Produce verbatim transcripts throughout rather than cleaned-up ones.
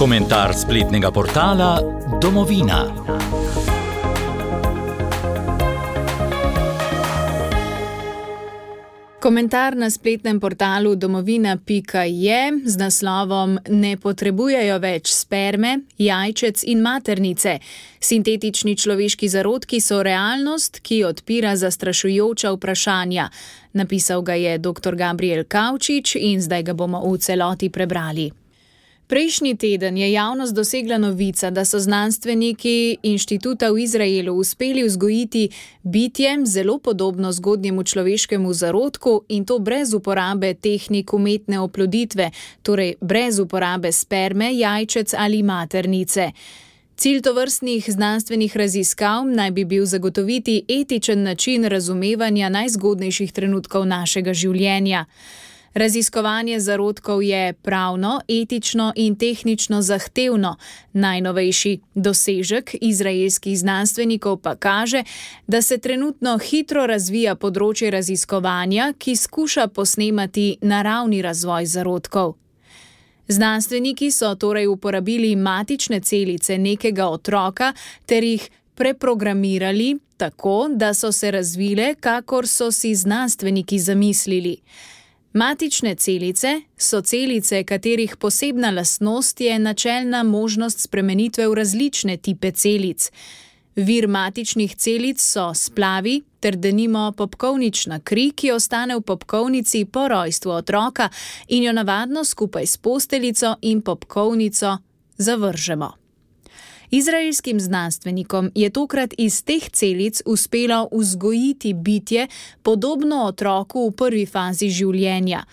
Komentar spletnega portala Domovina. Komentar na spletnem portalu domovina pika je z naslovom Ne potrebujejo več sperme, jajčec in maternice. Sintetični človeški zarodki so realnost, ki odpira zastrašujoča vprašanja. Napisal ga je doktor Gabriel Kavčič in zdaj ga bomo v celoti prebrali. Prejšnji teden je javnost dosegla novica, da so znanstveniki inštituta v Izraelu uspeli vzgojiti bitje zelo podobno zgodnjemu človeškemu zarodku in to brez uporabe tehnik umetne oploditve, torej brez uporabe sperme, jajčec ali maternice. Cilj tovrstnih znanstvenih raziskav naj bi bil zagotoviti etičen način razumevanja najzgodnejših trenutkov našega življenja. Raziskovanje zarodkov je pravno, etično in tehnično zahtevno. Najnovejši dosežek izraelskih znanstvenikov pa kaže, da se trenutno hitro razvija področje raziskovanja, ki skuša posnemati naravni razvoj zarodkov. Znanstveniki so torej uporabili matične celice nekega otroka ter jih preprogramirali tako, da so se razvile, kakor so si znanstveniki zamislili. Matične celice so celice, katerih posebna lastnost je načelna možnost spremenitve v različne tipe celic. Vir matičnih celic so splavi ter denimo popkovnična kri, ki ostane v popkovnici po rojstvu otroka in jo navadno skupaj s posteljico in popkovnico zavržemo. Izraelskim znanstvenikom je tokrat iz teh celic uspelo vzgojiti bitje podobno otroku v prvi fazi življenja.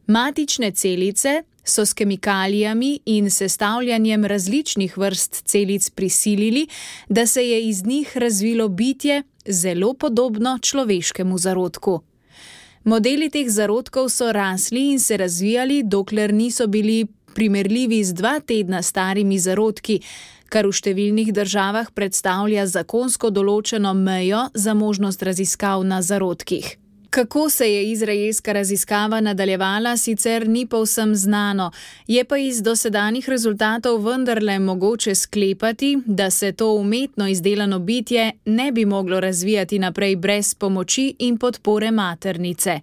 Matične celice so s kemikalijami in sestavljanjem različnih vrst celic prisilili, da se je iz njih razvilo bitje zelo podobno človeškemu zarodku. Modeli teh zarodkov so rasli in se razvijali, dokler niso bili primerljivi z dva tedna starimi zarodki, kar v številnih državah predstavlja zakonsko določeno mejo za možnost raziskav na zarodkih. Kako se je izraelska raziskava nadaljevala, sicer ni povsem znano, je pa iz dosedanjih rezultatov vendarle mogoče sklepati, da se to umetno izdelano bitje ne bi moglo razvijati naprej brez pomoči in podpore maternice.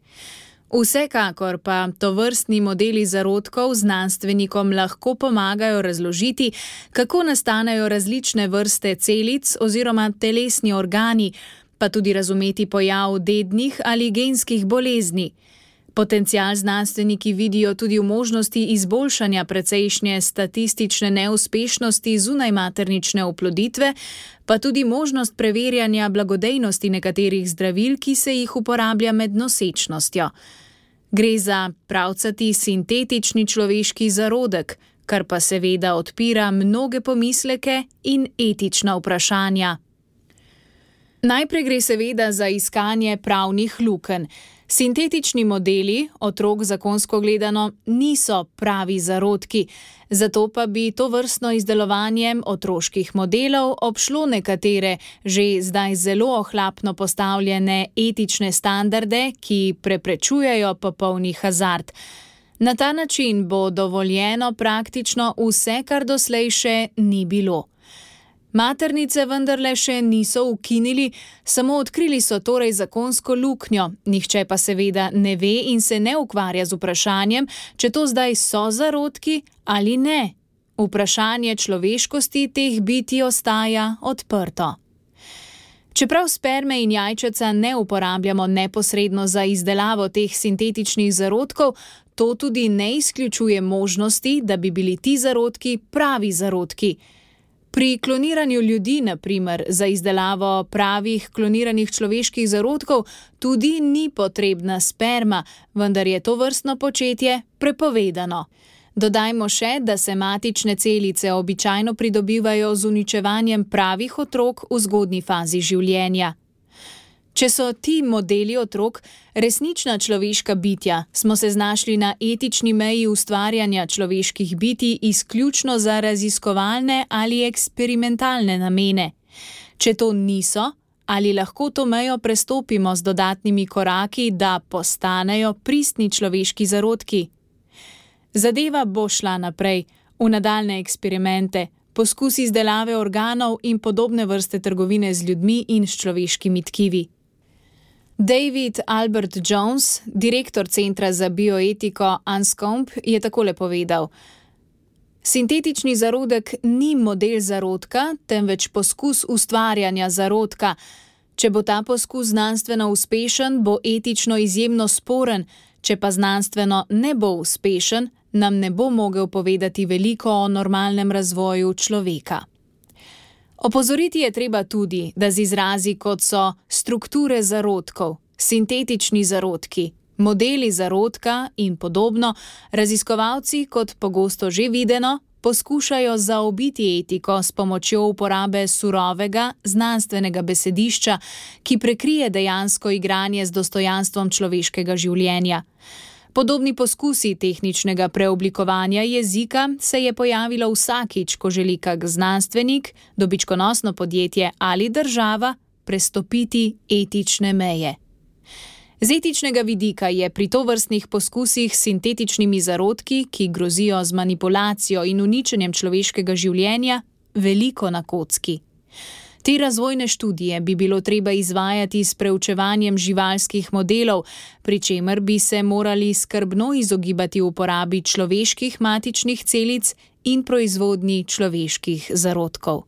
Vsekakor pa tovrstni modeli zarodkov znanstvenikom lahko pomagajo razložiti, kako nastanejo različne vrste celic oziroma telesni organi, pa tudi razumeti pojav dednih ali genskih bolezni. Potencial znanstveniki vidijo tudi v možnosti izboljšanja precejšnje statistične neuspešnosti zunajmaternične oploditve, pa tudi možnost preverjanja blagodejnosti nekaterih zdravil, ki se jih uporablja med nosečnostjo. Gre za pravcati sintetični človeški zarodek, kar pa seveda odpira mnoge pomisleke in etična vprašanja. Najprej gre seveda za iskanje pravnih lukenj. Sintetični modeli, otrok zakonsko gledano, niso pravi zarodki, zato pa bi tovrstno izdelovanje otroških modelov obšlo nekatere že zdaj zelo ohlapno postavljene etične standarde, ki preprečujejo popolni hazard. Na ta način bo dovoljeno praktično vse, kar doslej še ni bilo. Maternice vendarle še niso ukinili, samo odkrili so torej zakonsko luknjo, nihče pa seveda ne ve in se ne ukvarja z vprašanjem, če to zdaj so zarodki ali ne. Vprašanje človeškosti teh bitij ostaja odprto. Čeprav sperme in jajčeca ne uporabljamo neposredno za izdelavo teh sintetičnih zarodkov, to tudi ne izključuje možnosti, da bi bili ti zarodki pravi zarodki. Pri kloniranju ljudi, na primer, za izdelavo pravih kloniranih človeških zarodkov tudi ni potrebna sperma, vendar je to vrstno početje prepovedano. Dodajmo še, da se matične celice običajno pridobivajo z uničevanjem pravih otrok v zgodnji fazi življenja. Če so ti modeli otrok resnična človeška bitja, smo se znašli na etični meji ustvarjanja človeških bitij izključno za raziskovalne ali eksperimentalne namene. Če to niso, ali lahko to mejo prestopimo z dodatnimi koraki, da postanejo pristni človeški zarodki? Zadeva bo šla naprej. v nadaljne eksperimente, poskus izdelave organov in podobne vrste trgovine z ljudmi in s človeškimi tkivi. David Albert Jones, direktor Centra za bioetiko Anscombe, je takole povedal: Sintetični zarodek ni model zarodka, temveč poskus ustvarjanja zarodka. Če bo ta poskus znanstveno uspešen, bo etično izjemno sporen, če pa znanstveno ne bo uspešen, nam ne bo mogel povedati veliko o normalnem razvoju človeka. Opozoriti je treba tudi, da z izrazi kot so strukture zarodkov, sintetični zarodki, modeli zarodka in podobno, raziskovalci, kot pogosto že videno, poskušajo zaobiti etiko s pomočjo uporabe surovega, znanstvenega besedišča, ki prekrije dejansko igranje z dostojanstvom človeškega življenja. Podobni poskusi tehničnega preoblikovanja jezika se je pojavilo vsakič, ko želi kak znanstvenik, dobičkonosno podjetje ali država prestopiti etične meje. Z etičnega vidika je pri tovrstnih poskusih s sintetičnimi zarodki, ki grozijo z manipulacijo in uničenjem človeškega življenja, veliko na kocki. Te razvojne študije bi bilo treba izvajati s preučevanjem živalskih modelov, pri čemer bi se morali skrbno izogibati uporabi človeških matičnih celic in proizvodnji človeških zarodkov.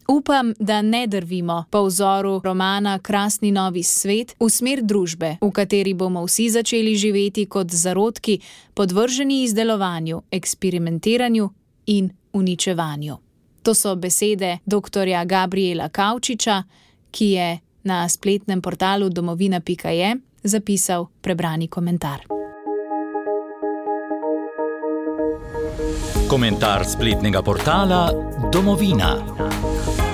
Upam, da ne drvimo po vzoru romana Krasni novi svet v smer družbe, v kateri bomo vsi začeli živeti kot zarodki, podvrženi izdelovanju, eksperimentiranju in uničevanju. To so besede doktorja Gabriela Kavčiča, ki je na spletnem portalu domovina pika je zapisal prebrani komentar. Komentar spletnega portala Domovina.